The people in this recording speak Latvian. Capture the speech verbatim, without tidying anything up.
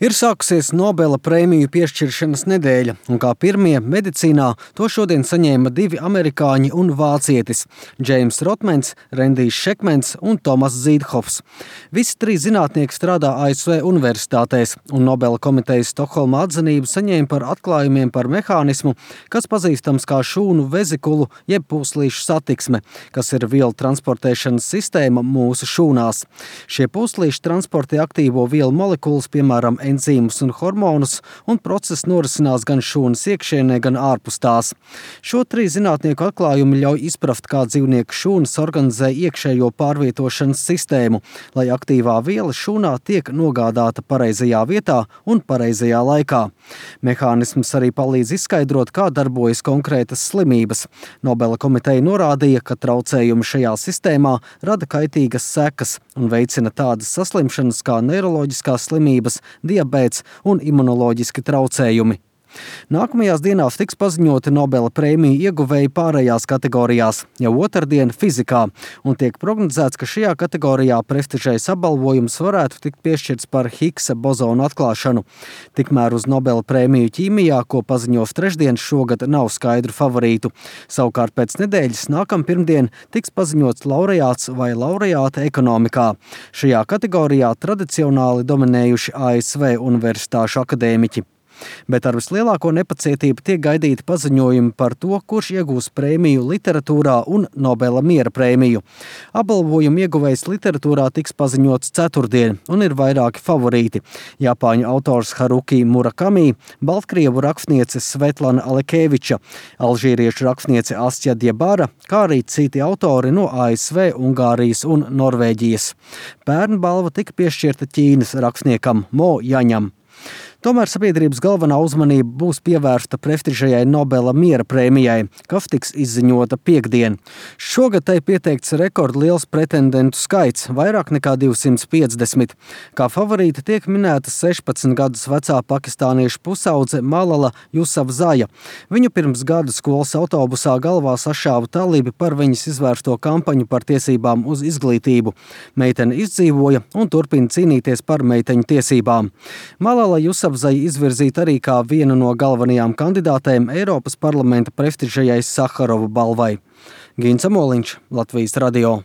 Ir sākusies Nobela prēmiju piešķiršanas nedēļa, un kā pirmie medicīnā to šodien saņēma divi amerikāņi un vācietis – Džeims Rotmens, Rendijs Šekmens un Tomas Zīdhofs. Visi trīs zinātnieki strādā A S V universitātēs, un Nobela komitejas Stokholmā atzinību saņēma par atklājumiem par mehānismu, kas pazīstams kā šūnu vezikulu jeb pūslīšu satiksme, kas ir vielu transportēšanas sistēma mūsu šūnās. Šie pūslīši transportē aktīvo vielu molekulas, piemēram, enzīmus un hormonus, un process norisinās gan šūnas iekšienē, gan ārpus tās. Šo trīs zinātnieku atklājumi ļauj izprast, kā dzīvnieku šūnas organizē iekšējo pārvietošanas sistēmu, lai aktīvā viela šūnā tiek nogādāta pareizajā vietā un pareizajā laikā. Mehānisms arī palīdz izskaidrot, kā darbojas konkrētas slimības. Nobela komiteja norādīja, ka traucējumi šajā sistēmā rada kaitīgas sekas un veicina tādas saslimšanas kā neiroloģiskās slimības, diabēts un imunoloģiski traucējumi. Nākamajās dienās tiks paziņoti Nobela prēmiju ieguvēji pārējās kategorijās, jau otrdien fizikā, un tiek prognozēts, ka šajā kategorijā prestižais apbalvojums varētu tikt piešķirts par Higgsa bozonu atklāšanu. Tikmēr uz Nobela prēmiju ķīmijā, ko paziņos trešdien, šogad nav skaidru favorītu. Savukārt pēc nedēļas nākam pirmdien tiks paziņots laureāts vai laureāte ekonomikā. Šajā kategorijā tradicionāli dominējuši A S V universitāšu akadēmiķi. Bet ar vislielāko nepacietību tiek gaidīti paziņojumi par to, kurš iegūs prēmiju literatūrā un Nobela miera prēmiju. Apbalvojumu ieguvējs literatūrā tiks paziņots ceturtdien, un ir vairāki favorīti. Japāņu autors Haruki Murakami, baltkrievu rakstniece Svetlana Alekeviča, alžīriešu rakstniece Astja Diebara, kā arī citi autori no A S V, Ungārijas un Norvēģijas. Pērn balva tika piešķirta Ķīnas rakstniekam Mo Jaņam. Tomēr sabiedrības galvenā uzmanība būs pievērsta prestižajai Nobela miera prēmijai, kas tiks izziņota piektdien. Šogad tai pieteikts rekordliels pretendentu skaits, vairāk nekā divsimt piecdesmit. Kā favorīta tiek minēta sešpadsmit gadus vecā pakistāniešu pusaudze Malala Jusafzaja. Viņu pirms gada skolas autobusā galvā sašāva talibi par viņas izvērsto kampaņu par tiesībām uz izglītību. Meitene izdzīvoja un turpina cīnīties par meiteņu tiesībām. Malala Jusafzaja izvirzīta arī kā viena no galvenajām kandidātēm Eiropas parlamenta prestižajai Saharova balvai. Gins Amoliņš, Latvijas radio.